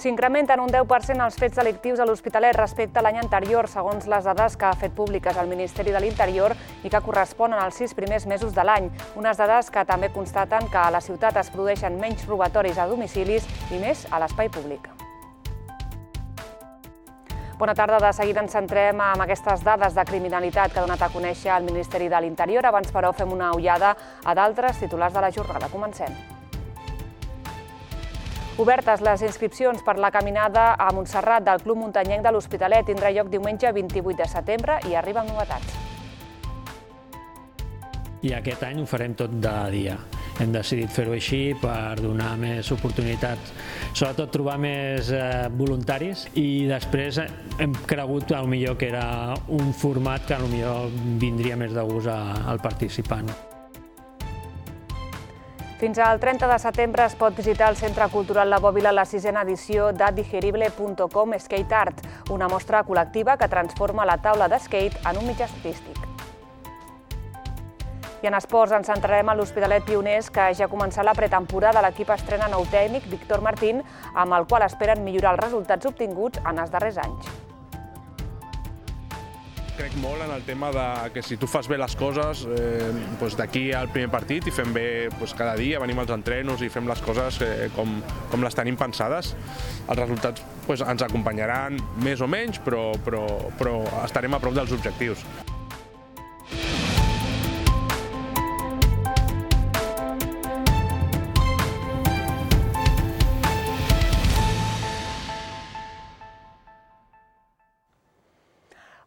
S'incrementen un 10% els fets delictius a l'Hospitalet respecte a l'any anterior, segons les dades que ha fet públiques el Ministeri de l'Interior i que corresponen als 6 primers mesos de l'any. Unes dades que també constaten que a la ciutat es produeixen menys robatoris a domicilis i més a l'espai públic. Bona tarda. De seguida ens centrem en aquestes dades de criminalitat que ha donat a conèixer el Ministeri de l'Interior. Abans, però, fem una ullada a d'altres titulars de la jornada. Comencem. Obertes les inscripcions per la caminada a Montserrat del Club Muntanyenc de l'Hospitalet. Tindrà lloc diumenge 28 de setembre i arriba amb novetats. I aquest any ho farem tot de dia. Hem decidit fer-ho així per donar més oportunitats, sobretot trobar més voluntaris, i després hem cregut potser que era un format que potser vindria més de gust al participant. Fins al 30 de setembre es pot visitar el Centre Cultural La Bòbila la 6a edició de Digerible.com Skate Art, una mostra col·lectiva que transforma la taula de skate en un mitjà artístic. I en esports ens centrarem a l'Hospitalet Pioners, que ja ha començat la pretemporada. L'equip estrena nou tècnic, Víctor Martín, amb el qual esperen millorar els resultats obtinguts en els darrers anys. Crec molt en el tema que si tu fas bé les coses, d'aquí al primer partit i fem bé cada dia, venim als entrenos i fem les coses com les tenim pensades. Els resultats ens acompanyaran més o menys, però estarem a prop dels objectius.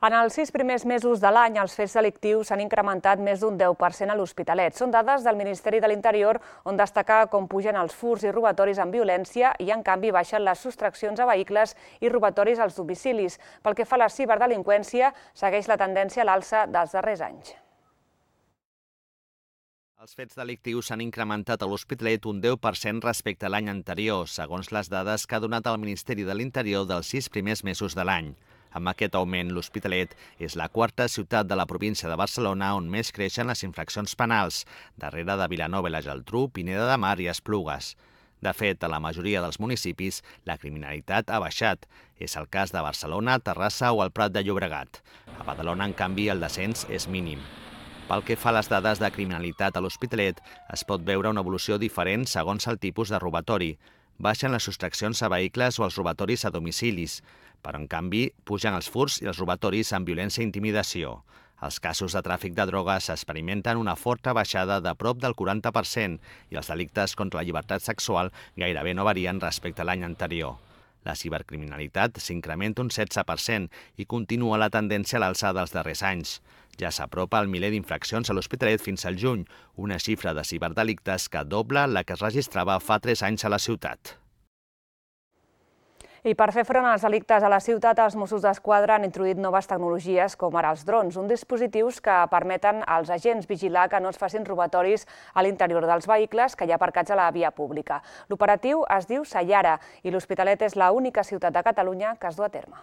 En els 6 primers mesos de l'any, els fets delictius s'han incrementat més d'un 10% a l'Hospitalet. Són dades del Ministeri de l'Interior, on destaca com pugen els furts i robatoris amb violència i, en canvi, baixen les sostraccions a vehicles i robatoris als domicilis. Pel que fa a la ciberdelinqüència, segueix la tendència a l'alça dels darrers anys. Els fets delictius s'han incrementat a l'Hospitalet un 10% respecte a l'any anterior, segons les dades que ha donat el Ministeri de l'Interior dels 6 primers mesos de l'any. Amb aquest augment, l'Hospitalet és la 4a ciutat de la província de Barcelona on més creixen les infraccions penals, darrere de Vilanova i la Geltrú, Pineda de Mar i Esplugues. De fet, a la majoria dels municipis, la criminalitat ha baixat. És el cas de Barcelona, Terrassa o el Prat de Llobregat. A Badalona, en canvi, el descens és mínim. Pel que fa a les dades de criminalitat a l'Hospitalet, es pot veure una evolució diferent segons el tipus de robatori. Baixen les sostraccions a vehicles o els robatoris a domicilis, però en canvi pugen els furts i els robatoris amb violència i intimidació. Els casos de tràfic de drogues experimenten una forta baixada de prop del 40% i els delictes contra la llibertat sexual gairebé no varien respecte a l'any anterior. La cibercriminalitat s'incrementa un 16% i continua la tendència a l'alçada dels darrers anys. Ja s'apropa el miler d'infraccions a l'Hospitalet fins al juny, una xifra de ciberdelictes que dobla la que es registrava fa 3 anys a la ciutat. I per fer front als delictes a la ciutat, els Mossos d'Esquadra han introduït noves tecnologies com ara els drons, uns dispositius que permeten als agents vigilar que no es facin robatoris a l'interior dels vehicles que hi ha aparcats a la via pública. L'operatiu es diu Sayara i l'Hospitalet és l'única ciutat de Catalunya que es du a terme.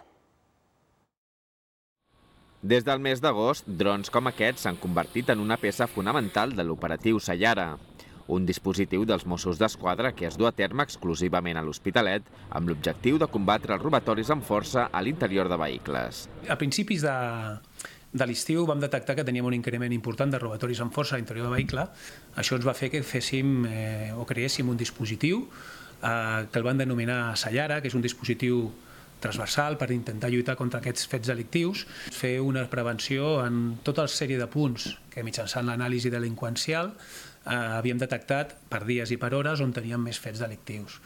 Des del mes d'agost, drons com aquests s'han convertit en una peça fonamental de l'operatiu Sayara, un dispositiu dels Mossos d'Esquadra que es du a terme exclusivament a l'Hospitalet amb l'objectiu de combatre els robatoris amb força a l'interior de vehicles. A principis de l'estiu vam detectar que teníem un increment important de robatoris amb força a l'interior de vehicle. Això ens va fer que creéssim un dispositiu que el van denominar Sayara, que és un dispositiu transversal per intentar lluitar contra aquests fets delictius, fer una prevenció en tota la sèrie de punts que mitjançant l'anàlisi delinqüencial havíem detectat per dies i per hores on teníem més fets delictius.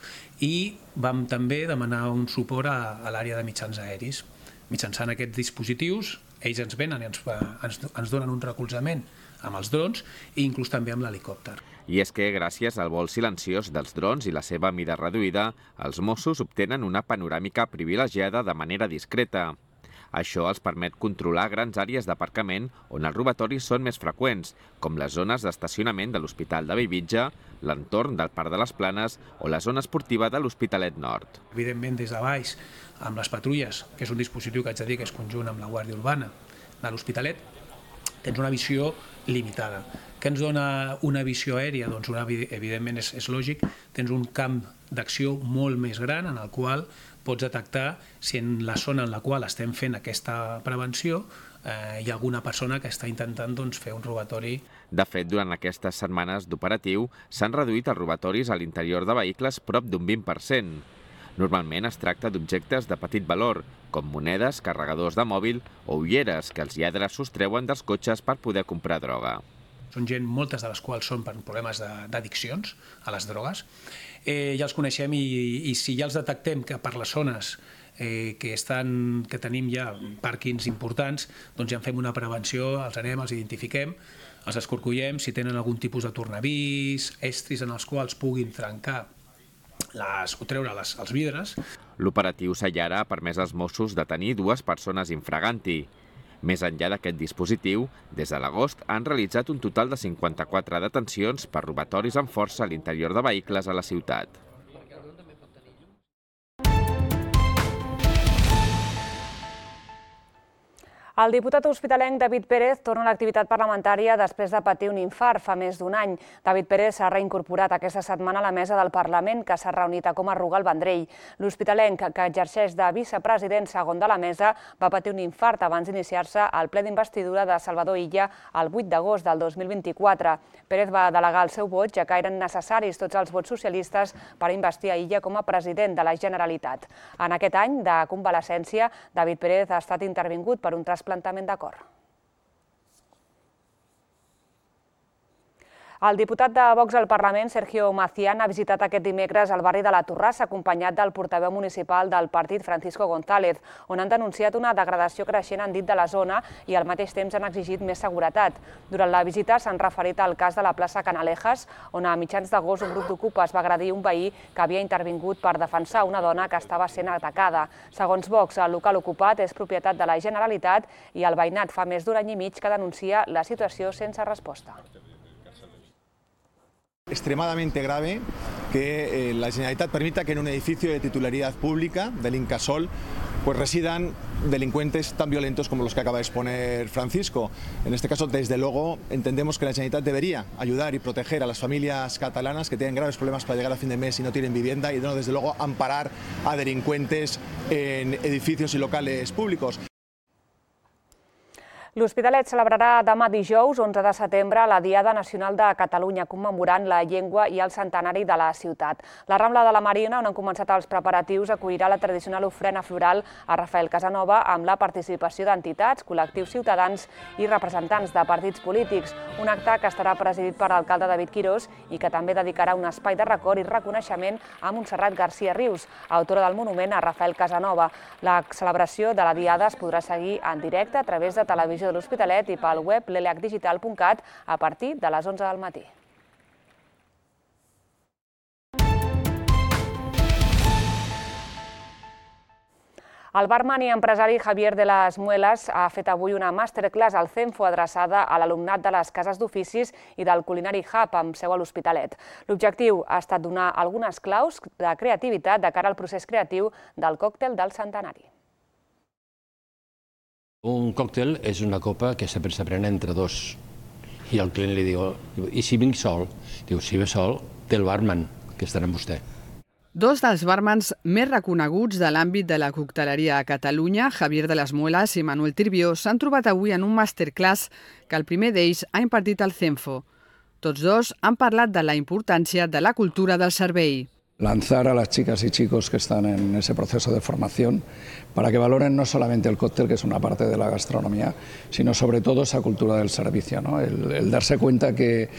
I vam també demanar un suport a l'àrea de mitjans aeris. Mitjançant aquests dispositius, ells ens venen i ens donen un recolzament amb els drons i inclús també amb l'helicòpter. I és que, gràcies al vol silenciós dels drons i la seva mida reduïda, els Mossos obtenen una panoràmica privilegiada de manera discreta. Això els permet controlar grans àrees d'aparcament on els robatoris són més freqüents, com les zones d'estacionament de l'Hospital de Bellvitge, l'entorn del Parc de les Planes o la zona esportiva de l'Hospitalet Nord. Evidentment, des de baix, amb les patrulles, que és un dispositiu que haig de dir que és conjunt amb la Guàrdia Urbana de l'Hospitalet, tens una visió limitada. Què ens dona una visió aèria? Doncs evidentment és lògic, tens un camp d'acció molt més gran en el qual pots detectar si en la zona en la qual estem fent aquesta prevenció hi ha alguna persona que està intentant fer un robatori. De fet, durant aquestes setmanes d'operatiu s'han reduït els robatoris a l'interior de vehicles prop d'un 20%. Normalment es tracta d'objectes de petit valor, com monedes, carregadors de mòbil o ulleres que els lladres sostreuen dels cotxes per poder comprar droga. Són gent, moltes de les quals són per problemes d'addiccions a les drogues. Ja els coneixem i si ja els detectem que per les zones que tenim ja pàrquings importants, doncs ja en fem una prevenció, els anem, els identifiquem, els escorcollem, si tenen algun tipus de tornavís, estris en els quals puguin trencar o treure els vidres. L'operatiu Sayara ha permès als Mossos detenir 2 persones infraganti. Més enllà d'aquest dispositiu, des de l'agost han realitzat un total de 54 detencions per robatoris amb força a l'interior de vehicles a la ciutat. El diputat hospitalenc David Pérez torna a l'activitat parlamentària després de patir un infart fa més d'un any. David Pérez s'ha reincorporat aquesta setmana a la mesa del Parlament, que s'ha reunit a Coma Ruga al Vendrell. L'hospitalenc, que exerceix de vicepresident segon de la mesa, va patir un infart abans d'iniciar-se al ple d'investidura de Salvador Illa el 8 d'agost del 2024. Pérez va delegar el seu vot, ja que eren necessaris tots els vots socialistes per investir a Illa com a president de la Generalitat. En aquest any de convalescència, David Pérez ha estat intervingut per un trasplantament de cor. El diputat de Vox al Parlament, Sergio Macián, ha visitat aquest dimecres el barri de la Torrassa, acompanyat del portaveu municipal del partit, Francisco González, on han denunciat una degradació creixent, han dit, de la zona i al mateix temps han exigit més seguretat. Durant la visita s'han referit al cas de la plaça Canalejas, on a mitjans d'agost un grup d'ocupes va agredir un veí que havia intervingut per defensar una dona que estava sent atacada. Segons Vox, el local ocupat és propietat de la Generalitat i el veïnat fa més d'un any i mig que denuncia la situació sense resposta. Extremadamente grave que la Generalitat permita que en un edificio de titularidad pública del Incasòl pues residan delincuentes tan violentos como los que acaba de exponer Francisco. En este caso, desde luego, entendemos que la Generalitat debería ayudar y proteger a las familias catalanas que tienen graves problemas para llegar a fin de mes y no tienen vivienda y, desde luego, amparar a delincuentes en edificios y locales públicos. L'Hospitalet celebrarà demà dijous, 11 de setembre, la Diada Nacional de Catalunya, commemorant la llengua i el centenari de la ciutat. La Rambla de la Marina, on han començat els preparatius, acollirà la tradicional ofrena floral a Rafael Casanova amb la participació d'entitats, col·lectius ciutadans i representants de partits polítics. Un acte que estarà presidit per l'alcalde David Quirós i que també dedicarà un espai de record i reconeixement a Montserrat García Rius, autora del monument a Rafael Casanova. La celebració de la Diada es podrà seguir en directe a través de Televisió de l'Hospitalet i pel web leleacdigital.cat a partir de les 11 del matí. El barman i empresari Javier de las Muelas ha fet avui una masterclass al CENFO adreçada a l'alumnat de les cases d'oficis i del Culinary Hub amb seu a l'Hospitalet. L'objectiu ha estat donar algunes claus de creativitat de cara al procés creatiu del còctel del centenari. Un còctel és una copa que sempre s'aprèn entre dos. I el client li diu, i si vinc sol? Diu, si ve sol, té el barman, que estarà amb vostè. Dos dels bàrmans més reconeguts de l'àmbit de la cocteleria a Catalunya, Javier de las Muelas i Manuel Tirbió, s'han trobat avui en un masterclass que el primer d'ells ha impartit al CENFO. Tots dos han parlat de la importància de la cultura del servei. Lanzar a las chicas y chicos que están en ese proceso de formación para que valoren no solamente el cóctel, que es una parte de la gastronomía, sino sobre todo esa cultura del servicio, ¿no? El darse cuenta que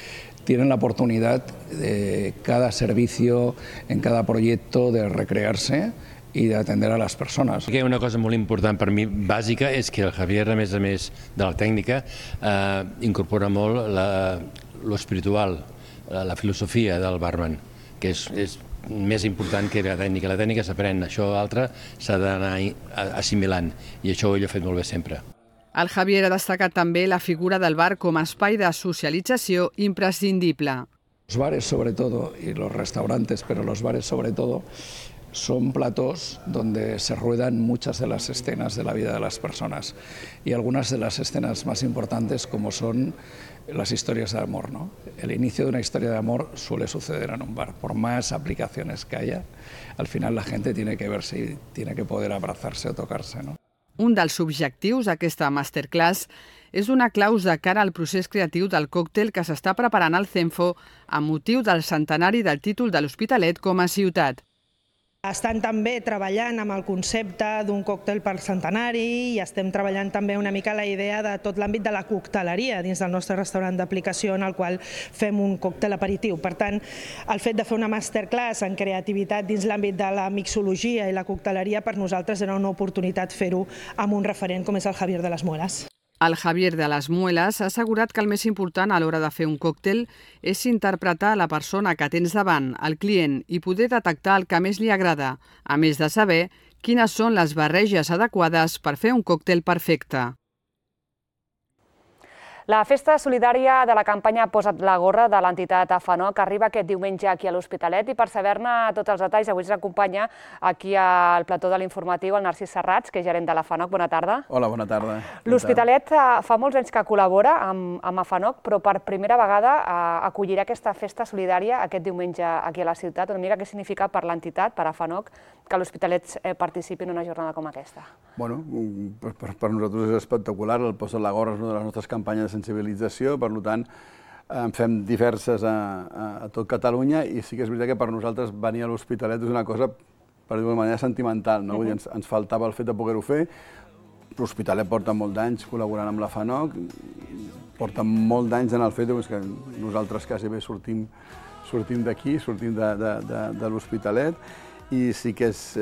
tienen la oportunidad de cada servicio, en cada proyecto, de recrearse i d'atendre a les persones. Una cosa molt important per mi, bàsica, és que el Javier, a més de la tècnica, incorpora molt l'espiritual, la filosofia del barman, que és més important que la tècnica. La tècnica s'aprèn, això altre s'ha d'anar assimilant, i això ell ho ha fet molt bé sempre. El Javier ha destacat també la figura del bar com a espai de socialització imprescindible. Los bares sobre todo, y los restaurantes, pero los bares sobre todo, son platós donde se ruedan muchas de las escenas de la vida de las personas y algunas de las escenas más importantes como son las historias de amor, ¿no? El inicio de una historia de amor suele suceder en un bar. Por más aplicaciones que haya, al final la gente tiene que verse y tiene que poder abrazarse o tocarse, ¿no? Un dels objectius d'aquesta masterclass és donar claus de cara al procés creatiu del còctel que s'està preparant al CENFO amb motiu del centenari del títol de l'Hospitalet com a ciutat. Estan també treballant amb el concepte d'un còctel per centenari i estem treballant també una mica la idea de tot l'àmbit de la cocteleria dins del nostre restaurant d'aplicació en el qual fem un còctel aperitiu. Per tant, el fet de fer una masterclass en creativitat dins l'àmbit de la mixologia i la cocteleria per nosaltres era una oportunitat fer-ho amb un referent com és el Javier de las Muelas. El Javier de las Muelas ha assegurat que el més important a l'hora de fer un còctel és interpretar la persona que tens davant, el client, i poder detectar el que més li agrada, a més de saber quines són les barreges adequades per fer un còctel perfecte. La festa solidària de la campanya Posa't la gorra de l'entitat AFANOC arriba aquest diumenge aquí a l'Hospitalet i per saber-ne tots els detalls avui ens acompanya aquí al plató de l'informatiu el Narcís Serrats, que és gerent de l'AFANOC. Bona tarda. Hola, bona tarda. L'Hospitalet fa molts anys que col·labora amb AFANOC, però per primera vegada acollirà aquesta festa solidària aquest diumenge aquí a la ciutat. Una mica què significa per l'entitat, per AFANOC, que l'Hospitalet participi en una jornada com aquesta? Bueno, per nosaltres és espectacular. El Posa't la gorra és una de les nostres campanyes de sensibilització, per tant, en fem diverses a tot Catalunya i sí que és veritat que per nosaltres venir a l'Hospitalet és una cosa, per dir-ho d'una manera, sentimental, no? Vull dir, ens faltava el fet de poder-ho fer. L'Hospitalet porta molt d'anys col·laborant amb la FANOC, porta molt d'anys en el fet que nosaltres quasi bé sortim d'aquí, sortim de l'Hospitalet, i sí que és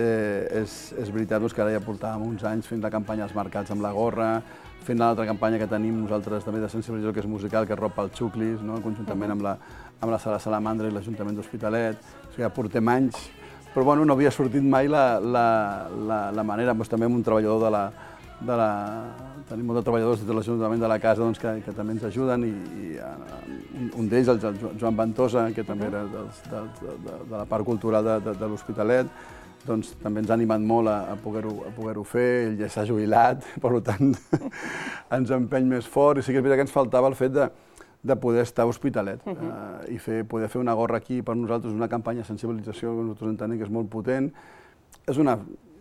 veritat que ara ja portàvem uns anys fent la campanya als mercats amb la gorra, fent l'altra campanya que tenim nosaltres també de sensibilització, que és musical, que és Ropa als Xuclis, conjuntament amb la Sala Salamandra i l'Ajuntament d'Hospitalet. O sigui, ja portem anys, però bueno, no havia sortit mai la manera. També amb un treballador tenim molts treballadors de l'Ajuntament de la casa que també ens ajuden, i un d'ells, el Joan Ventosa, que també era de la part cultural de l'Hospitalet, doncs també ens ha animat molt a poder-ho fer. Ell ja s'ha jubilat, per tant ens empeny més fort, i sí que és veritat que ens faltava el fet de poder estar a Hospitalet i poder fer una gorra aquí. Per nosaltres és una campanya de sensibilització que nosaltres entenem que és molt potent.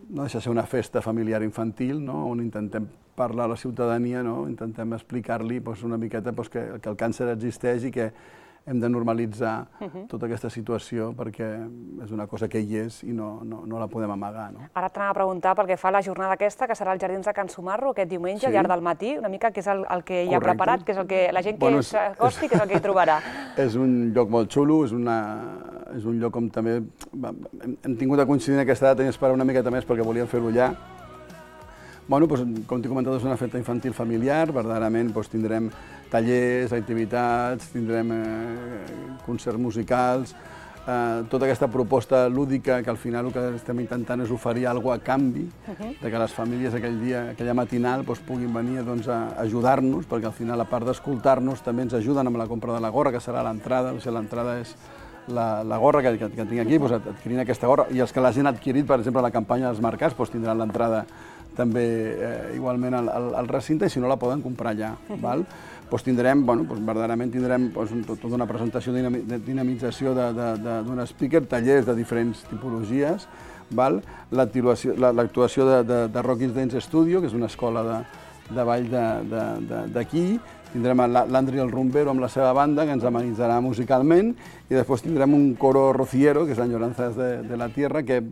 No deixa de ser una festa familiar infantil, on intentem parlar a la ciutadania, intentem explicar-li una miqueta que el càncer existeix i que hem de normalitzar tota aquesta situació perquè és una cosa que hi és i no la podem amagar. Ara t'anava a preguntar pel que fa a la jornada aquesta, que serà als Jardins de Can Sumarro aquest diumenge, al llarg del matí, una mica què és el que hi ha preparat, què és el que la gent que s'acosti, què és el que hi trobarà. És un lloc molt xulo, és un lloc on també hem tingut de coincidir en aquesta data i esperar una miqueta més perquè volíem fer-ho allà. Com t'he comentat, és una festa infantil familiar, verdaderament tindrem tallers, activitats, tindrem concerts musicals, tota aquesta proposta lúdica que al final el que estem intentant és oferir alguna cosa a canvi, que les famílies aquella matinal puguin venir a ajudar-nos, perquè al final, a part d'escoltar-nos, també ens ajuden amb la compra de la gorra, que serà l'entrada. L'entrada és la gorra que tinc aquí, adquirint aquesta gorra, i els que l'hagin adquirit, per exemple, a la campanya dels mercats, tindran l'entrada també igualment al recinte, i si no la poden comprar allà. Verdaderament tindrem tota una presentació de dinamització d'un speaker, tallers de diferents tipologies, l'actuació de Rocky's Dance Studio, que és una escola de ball d'aquí, tindrem l'Andri el Rumbero amb la seva banda, que ens amenitzarà musicalment, i després tindrem un coro rociero, que és l'Enyoranzas de la Tierra, que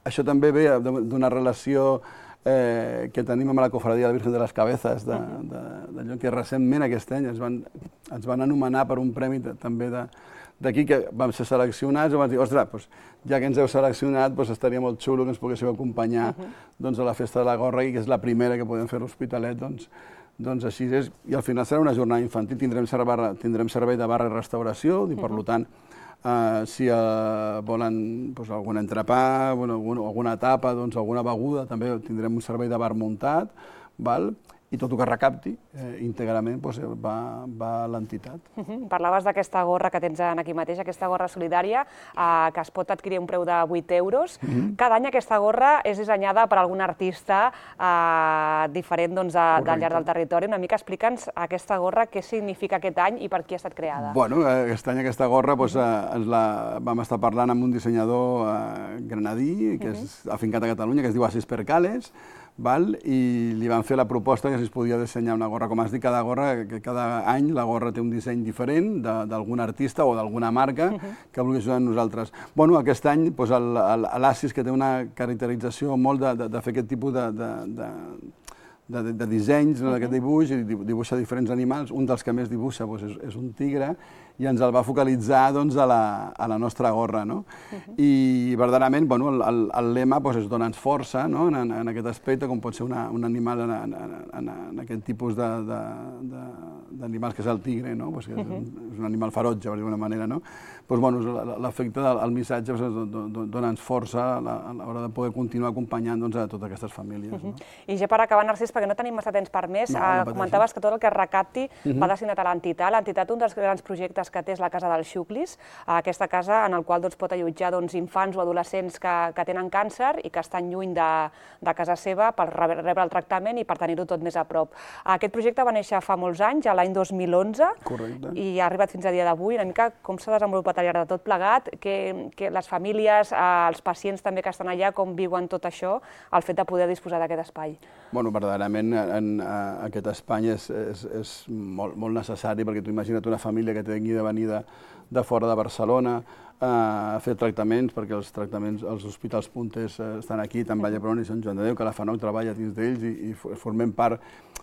això també ve d'una relació que tenim amb la Cofradia de la Virgen de les Cabezas, d'allò que recentment aquest any ens van anomenar per un premi també d'aquí, que vam ser seleccionats, i vam dir, ostres, ja que ens heu seleccionat, estaria molt xulo que ens poguéssiu acompanyar a la Festa de la Gorra, que és la primera que podem fer a l'Hospitalet, doncs així és. I al final serà una jornada infantil, tindrem servei de barra i restauració, i per tant, si volen algun entrepà, alguna tapa, alguna beguda, també tindrem un servei de bar muntat, i tot el que recapti íntegrament va a l'entitat. Parlaves d'aquesta gorra que tens aquí mateix, aquesta gorra solidària, que es pot adquirir a un preu de 8 euros. Cada any aquesta gorra és dissenyada per algun artista diferent al llarg del territori. Una mica explica'ns aquesta gorra, què significa aquest any i per qui ha estat creada. Bueno, aquest any aquesta gorra vam estar parlant amb un dissenyador granadí, que és afincat a Catalunya, que es diu Assis Percales, i li van fer la proposta que si es podia dissenyar una gorra. Com has dit, cada any la gorra té un disseny diferent d'algun artista o d'alguna marca que vulgui ajudar a nosaltres. Bueno, aquest any l'Assis, que té una caracterització molt de fer aquest tipus de dissenys, d'aquest dibuix, i dibuixa diferents animals. Un dels que més dibuixa és un tigre, i ens el va focalitzar a la nostra gorra. I verdaderament el lema és dona'ns força en aquest aspecte, com pot ser un animal en aquest tipus d'animals que és el tigre, que és un animal ferotge, per dir d'alguna manera. L'efecte del missatge dona'ns força a l'hora de poder continuar acompanyant a totes aquestes famílies. I ja per acabar, Narcís, perquè no tenim massa temps per més, comentaves que tot el que es recapti va destinat a l'entitat. L'entitat, un dels grans projectes que té és la Casa dels Xuclis, aquesta casa en la qual pot allotjar infants o adolescents que tenen càncer i que estan lluny de casa seva per rebre el tractament i per tenir-ho tot més a prop. Aquest projecte va néixer fa molts anys, l'any 2011, i ha arribat fins a dia d'avui. Una mica com s'ha desenvolupat al llarg de tot plegat, que les famílies, els pacients també que estan allà, com viuen tot això, el fet de poder disposar d'aquest espai. Bueno, verdaderament aquest espai és molt necessari, perquè tu imagina't una família que tingui de venir de fora de Barcelona a fer tractaments, perquè els hospitals punters estan aquí, tant Vall d'Hebron i Sant Joan de Déu, que la FANOC treballa dins d'ells i formem part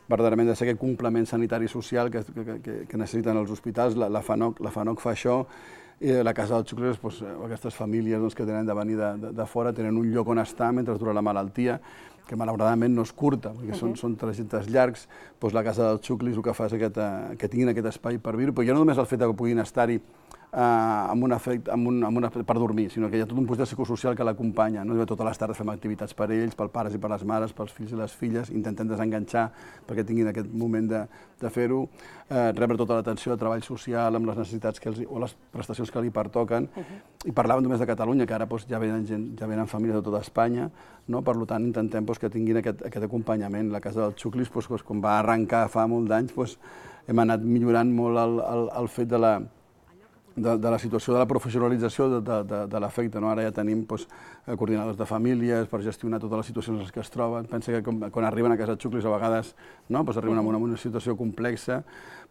verdaderament de ser aquest complement sanitari i social que necessiten els hospitals. La FANOC fa això, i la Casa dels Xuclis, aquestes famílies que tenen de venir de fora tenen un lloc on estar mentre dura la malaltia, que malauradament no és curta, perquè són trajectes llargs. La Casa dels Xuclis el que fa és que tinguin aquest espai per viure, però ja no només el fet que puguin estar-hi per dormir, sinó que hi ha tot un projecte psicosocial que l'acompanya. Totes les tardes fem activitats per ells, pels pares i per les mares, pels fills i les filles, intentem desenganxar perquè tinguin aquest moment de fer-ho, rebre tota l'atenció de treball social amb les necessitats o les prestacions que li pertoquen. I parlàvem només de Catalunya, que ara ja venen famílies de tota Espanya, per tant intentem que tinguin aquest acompanyament. La Casa dels Xuclis, com va arrencar fa molts anys, hem anat millorant molt el fet de la situació de la professionalització de l'efecte. Ara ja tenim coordinadors de famílies per gestionar totes les situacions en què es troben. Pensa que quan arriben a Casa Xuclis a vegades arriben en una situació complexa.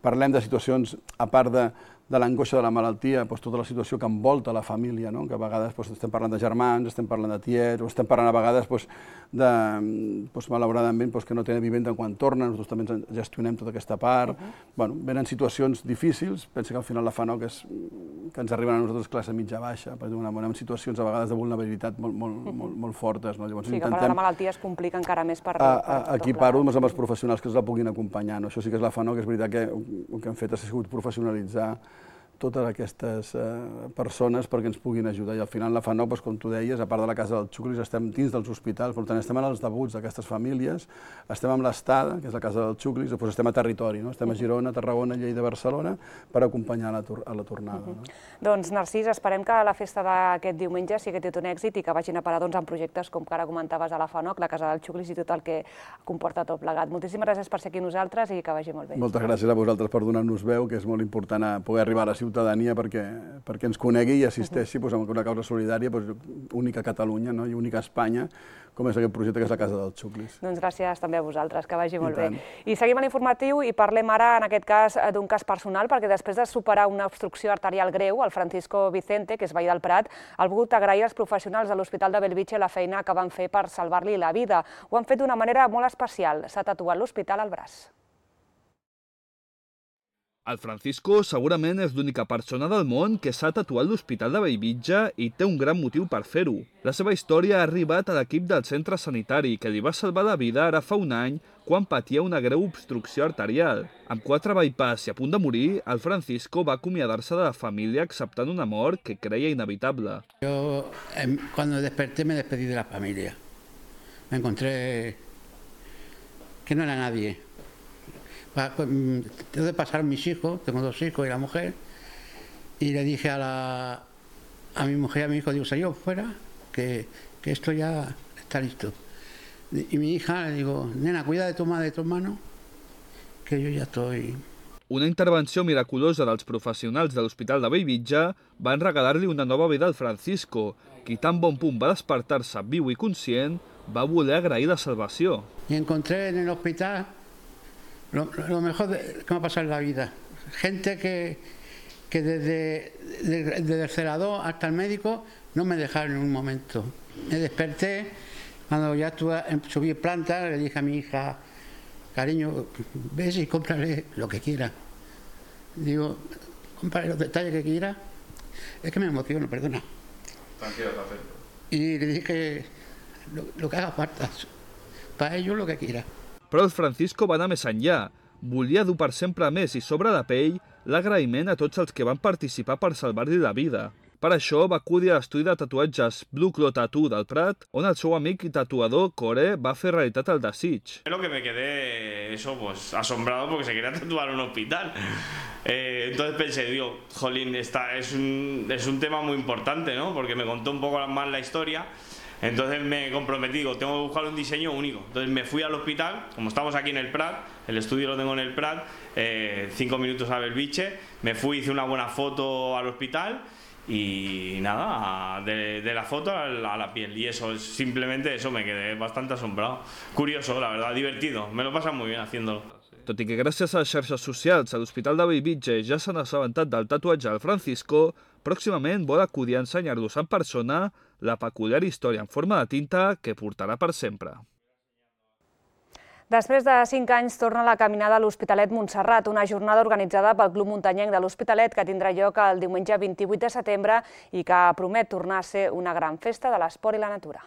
Parlem de situacions, a part de l'angoixa de la malaltia, tota la situació que envolta la família, que a vegades estem parlant de germans, estem parlant de tiets, o estem parlant a vegades malauradament que no tenen vivenda quan tornen, nosaltres també gestionem tota aquesta part. Venen situacions difícils, pensa que al final la FANOC que ens arriben a nosaltres classe mitja-baixa, en situacions a vegades de vulnerabilitat molt fortes. Sí, que per la malaltia es complica encara més per... Aquí parlo amb els professionals que ens la puguin acompanyar. Això sí que és la FANOC, és veritat que el que hem fet ha sigut professionalitzar totes aquestes persones perquè ens puguin ajudar. I al final la FANOC, com tu deies, a part de la Casa dels Xuclis, estem dins dels hospitals, per tant estem en els debuts d'aquestes famílies, estem amb l'Estada, que és la Casa dels Xuclis, després estem a territori, estem a Girona, Tarragona, Lleida, Barcelona, per acompanyar a la tornada. Doncs Narcís, esperem que la festa d'aquest diumenge sigui tot un èxit i que vagin a parar en projectes com que ara comentaves a la FANOC, la Casa dels Xuclis i tot el que comporta tot plegat. Moltíssimes gràcies per ser aquí amb nosaltres i que vagi molt bé. Moltes gràcies a vosaltres per donar-nos veu, que és molt important poder arribar a la ciutadania perquè ens conegui i assisteixi a una causa solidària única a Catalunya i única a Espanya, com és aquest projecte que és la Casa dels Xuclis. Doncs gràcies també a vosaltres, que vagi molt bé. I seguim a l'informatiu i parlem ara, en aquest cas, d'un cas personal, perquè després de superar una obstrucció arterial greu, el Francisco Vicente, que és veí del Prat, ha volgut agrair als professionals de l'Hospital de Bellvitge la feina que van fer per salvar-li la vida. Ho han fet d'una manera molt especial. S'ha tatuat l'hospital al braç. El Francisco segurament és l'única persona del món que s'ha tatuat l'Hospital de Bellvitge i té un gran motiu per fer-ho. La seva història ha arribat a l'equip del centre sanitari que li va salvar la vida ara fa un any quan patia una greu obstrucció arterial. Amb 4 bypass i a punt de morir, el Francisco va acomiadar-se de la família acceptant una mort que creia inevitable. Yo cuando desperté me despedí de la familia. Me encontré que no era nadie. tengo que pasar mis hijos, tengo 2 hijos y la mujer, y le dije a mi mujer y a mi hijo, digo, señor, fuera, que esto ya está listo. Y mi hija le digo, nena, cuida de tu madre y de tu hermano, que yo ya estoy... Una intervenció miraculosa dels professionals de l'Hospital de Bellvitge van regalar-li una nova vida al Francisco, qui tan bon punt va despertar-se viu i conscient, va voler agrair la salvació. Y encontré en el hospital lo mejor que me ha pasado en la vida. Gente que desde el celador hasta el médico no me dejaron en un momento. Me desperté, cuando ya subí planta, le dije a mi hija, cariño, ves y cómprale lo que quiera. Digo, cómprale los detalles que quiera. Es que me emociono, perdona. Tranquilo, perfecto. Y le dije lo que haga falta, para ellos lo que quiera. Però el Francisco va anar més enllà. Volia dur per sempre més i sobre la pell l'agraïment a tots els que van participar per salvar-li la vida. Per això va acudir a l'estudi de tatuatges Blue Claw Tattoo del Prat, on el seu amic i tatuador Core va fer realitat el desig. Lo que me quedé asombrado porque se quería tatuar en un hospital. Entonces pensé, digo, jolín, es un tema muy importante, ¿no? Porque me contó un poco más la historia. Entonces me comprometí, digo, tengo que buscar un diseño único. Entonces me fui al hospital, como estamos aquí en el Prat, el estudio lo tengo en el Prat, 5 minutos a Belvitge, me fui, hice una buena foto al hospital y nada, de la foto a la piel. Y eso, simplemente eso, me quedé bastante asombrado. Curioso, la verdad, divertido, me lo pasan muy bien haciéndolo. Tot i que gràcies a les xarxes socials a l'Hospital de Bellvitge ja s'han assabentat del tatuatge al Francisco, pròximament vol acudir a ensenyar-los en persona la peculiar història en forma de tinta que portarà per sempre. Després de 5 anys torna la caminada a l'Hospitalet Montserrat, una jornada organitzada pel Club Muntanyenc de l'Hospitalet que tindrà lloc el diumenge 28 de setembre i que promet tornar a ser una gran festa de l'esport i la natura.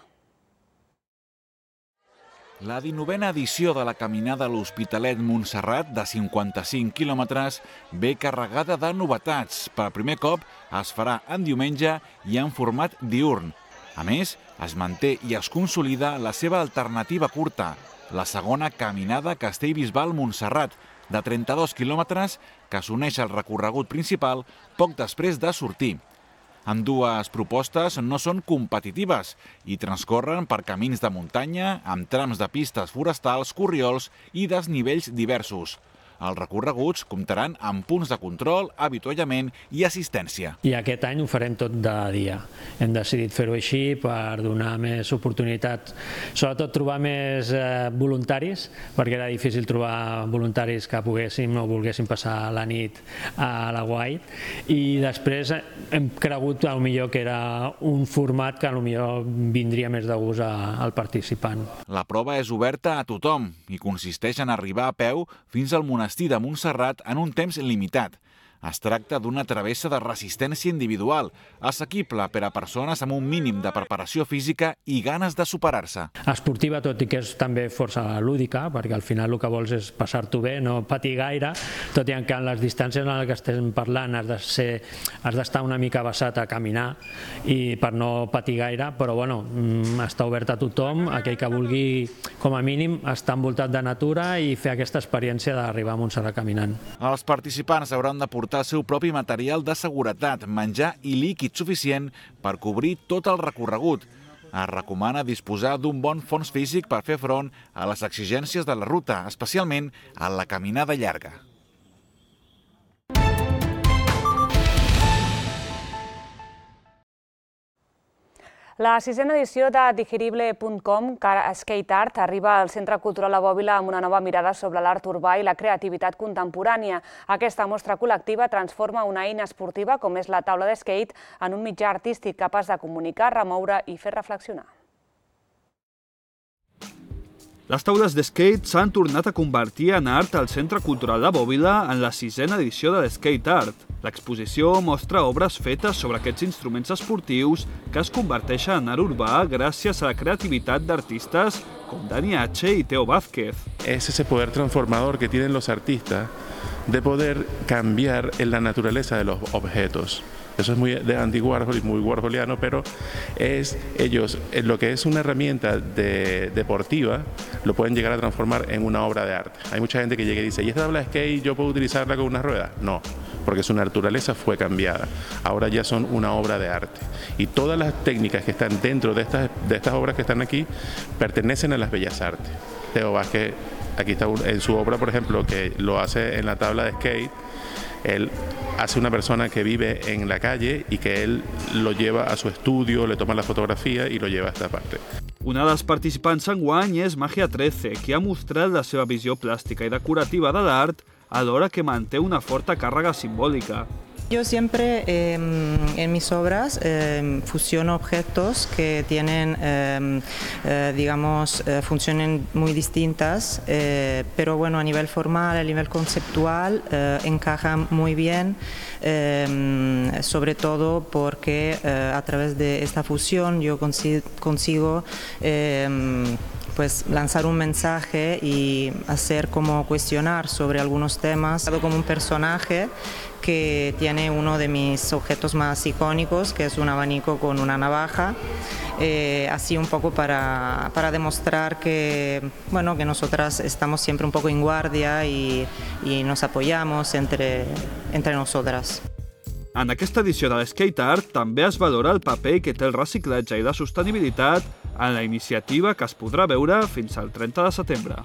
La 19a edició de la caminada a l'Hospitalet Montserrat, de 55 quilòmetres, ve carregada de novetats. Per primer cop es farà en diumenge i en format diürn. A més, es manté i es consolida la seva alternativa curta, la segona caminada Castellbisbal-Montserrat, de 32 quilòmetres, que s'uneix al recorregut principal poc després de sortir. Ambdues propostes no són competitives i transcorren per camins de muntanya, amb trams de pistes forestals, corriols i desnivells diversos. Els recorreguts comptaran amb punts de control, avituallament i assistència. I aquest any ho farem tot de dia. Hem decidit fer-ho així per donar més oportunitats, sobretot trobar més voluntaris, perquè era difícil trobar voluntaris que poguessin o volguessin passar la nit a la Guait. I després hem cregut que era un format que vindria més de gust al participant. La prova és oberta a tothom i consisteix en arribar a peu fins al monestir de Montserrat en un temps limitat. Es tracta d'una travessa de resistència individual, assequible per a persones amb un mínim de preparació física i ganes de superar-se. Esportiva, tot i que és també força lúdica, perquè al final el que vols és passar-t'ho bé, no patir gaire, tot i que en les distàncies en les que estem parlant has d'estar una mica vessat a caminar i per no patir gaire, però bueno, està obert a tothom, aquell que vulgui com a mínim estar envoltat de natura i fer aquesta experiència d'arribar a Montserrat caminant. Els participants hauran de portar el seu propi material de seguretat, menjar i líquid suficient per cobrir tot el recorregut. Es recomana disposar d'un bon fons físic per fer front a les exigències de la ruta, especialment a la caminada llarga. La 6a edició de Digerible.com Skate Art arriba al Centre Cultural de Bòbila amb una nova mirada sobre l'art urbà i la creativitat contemporània. Aquesta mostra col·lectiva transforma una eina esportiva com és la taula de skate en un mitjà artístic capaç de comunicar, remoure i fer reflexionar. Les taules de skate s'han tornat a convertir en art al Centre Cultural de Bòbila en la 6a edició de Skate Art. L'exposició mostra obres fetes sobre aquests instruments esportius que es converteixen en art urbà gràcies a la creativitat d'artistes com Dani H. y Teo Vázquez. Es ese poder transformador que tienen los artistas de poder cambiar en la naturaleza de los objetos. Eso es muy de Andy Warhol y muy warholiano, pero ellos, en lo que es una herramienta deportiva, lo pueden llegar a transformar en una obra de arte. Hay mucha gente que llega y dice, ¿y esta tabla de skate yo puedo utilizarla con una rueda? No, porque su naturaleza fue cambiada. Ahora ya son una obra de arte. Y todas las técnicas que están dentro de estas obras que están aquí pertenecen a las bellas artes. Teo Vázquez, aquí está en su obra, por ejemplo, que lo hace en la tabla de skate. Él hace una persona que vive en la calle y que él lo lleva a su estudio, le toma la fotografia y lo lleva a esta parte. Una de les participants enguany és Magia 13, que ha mostrat la seva visió plàstica i decorativa de l'art alhora que manté una forta càrrega simbòlica. Yo siempre en mis obras fusiono objetos que tienen, digamos, funciones muy distintas, pero bueno, a nivel formal, a nivel conceptual, encajan muy bien, sobre todo porque a través de esta fusión yo consigo pues lanzar un mensaje y hacer como cuestionar sobre algunos temas, como un personaje que tiene uno de mis objetos más icónicos, que es un abanico con una navaja, así un poco para demostrar que, bueno, que nosotras estamos siempre un poco en guardia y nos apoyamos entre nosotras. En aquesta edició de l'Skate Art també es valora el paper que té el reciclatge i la sostenibilitat en la iniciativa que es podrà veure fins al 30 de setembre.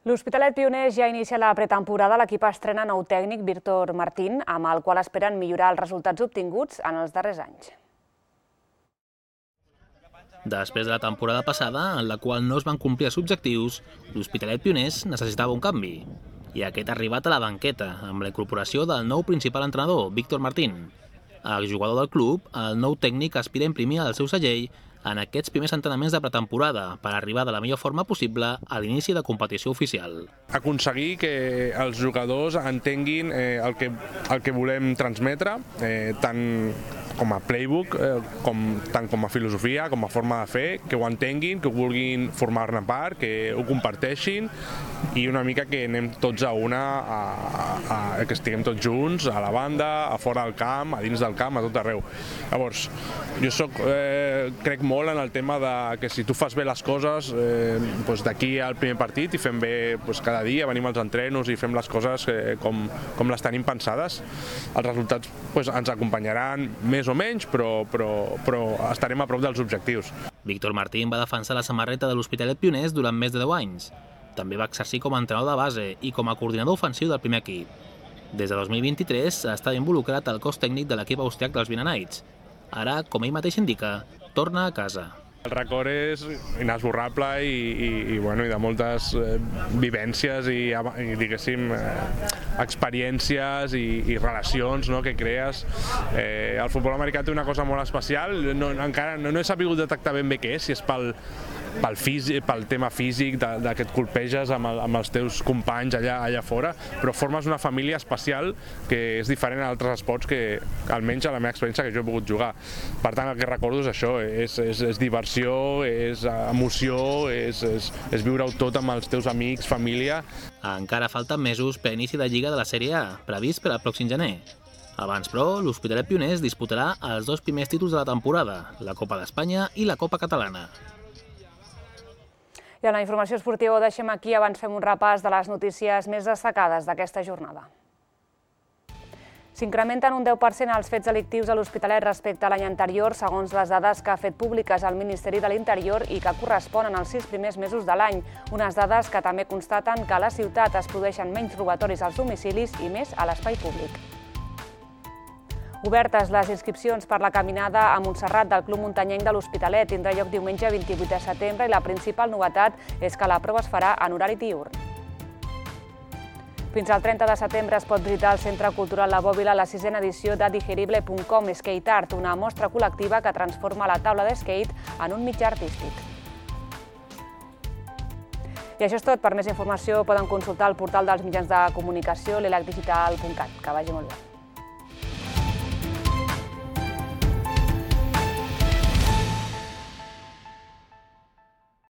L'Hospitalet Pioners ja inicia la pretemporada. L'equip estrena nou tècnic, Víctor Martín, amb el qual esperen millorar els resultats obtinguts en els darrers anys. Després de la temporada passada, en la qual no es van complir els objectius, l'Hospitalet Pioners necessitava un canvi. I aquest ha arribat a la banqueta, amb la incorporació del nou principal entrenador, Víctor Martín. Exjugador del club, el nou tècnic aspira a imprimir el seu segell en aquests primers entrenaments de pretemporada per arribar de la millor forma possible a l'inici de competició oficial. Aconseguir que els jugadors entenguin el que volem transmetre, tant com a playbook, tant com a filosofia, com a forma de fer, que ho entenguin, que ho vulguin formar-ne part, que ho comparteixin i una mica que anem tots a una, que estiguem tots junts, a la banda, a fora del camp, a dins del camp, a tot arreu. Llavors, jo crec molt en el tema de que si tu fas bé les coses, d'aquí al primer partit i fem bé cada dia, venim als entrenos i fem les coses com les tenim pensades, els resultats ens acompanyaran més o menys, però estarem a prop dels objectius. Víctor Martín va defensar la samarreta de l'Hospitalet Pioners durant més de 10 anys. També va exercir com a entrenador de base i com a coordinador ofensiu del primer equip. Des de 2023 està involucrat al cos tècnic de l'equip austriac dels Vinanites. Ara, com ell mateix indica, torna a casa. El record és inesborrable i de moltes vivències i diguéssim experiències i relacions que crees. El futbol americà té una cosa molt especial, encara no he sabut detectar ben bé què és, si és pel tema físic que et colpeges amb els teus companys allà fora, però formes una família especial que és diferent a altres esports que, almenys a la meva experiència, que jo he pogut jugar. Per tant, el que recordo és això, és diversió, és emoció, és viure-ho tot amb els teus amics, família. Encara falten mesos per inici de Lliga de la Sèrie A, previst per al pròxim gener. Abans, però, l'Hospitalet Pioners disputarà els dos primers títols de la temporada, la Copa d'Espanya i la Copa Catalana. I en la informació esportiva ho deixem aquí, abans fem un repàs de les notícies més destacades d'aquesta jornada. S'incrementen un 10% els fets delictius a l'Hospitalet respecte a l'any anterior, segons les dades que ha fet públiques el Ministeri de l'Interior i que corresponen als 6 primers mesos de l'any. Unes dades que també constaten que a la ciutat es produeixen menys robatoris als domicilis i més a l'espai públic. Obertes les inscripcions per la caminada a Montserrat del Club Muntanyenc de l'Hospitalet. Tindrà lloc diumenge 28 de setembre i la principal novetat és que la prova es farà en horari diürn. Fins al 30 de setembre es pot visitar al Centre Cultural La Bòbila la 6a edició de Digerible.com Skate Art, una mostra col·lectiva que transforma la taula de skate en un mitjà artístic. I això és tot. Per més informació poden consultar el portal dels mitjans de comunicació, l'elacdigital.cat. Que vagi molt bé.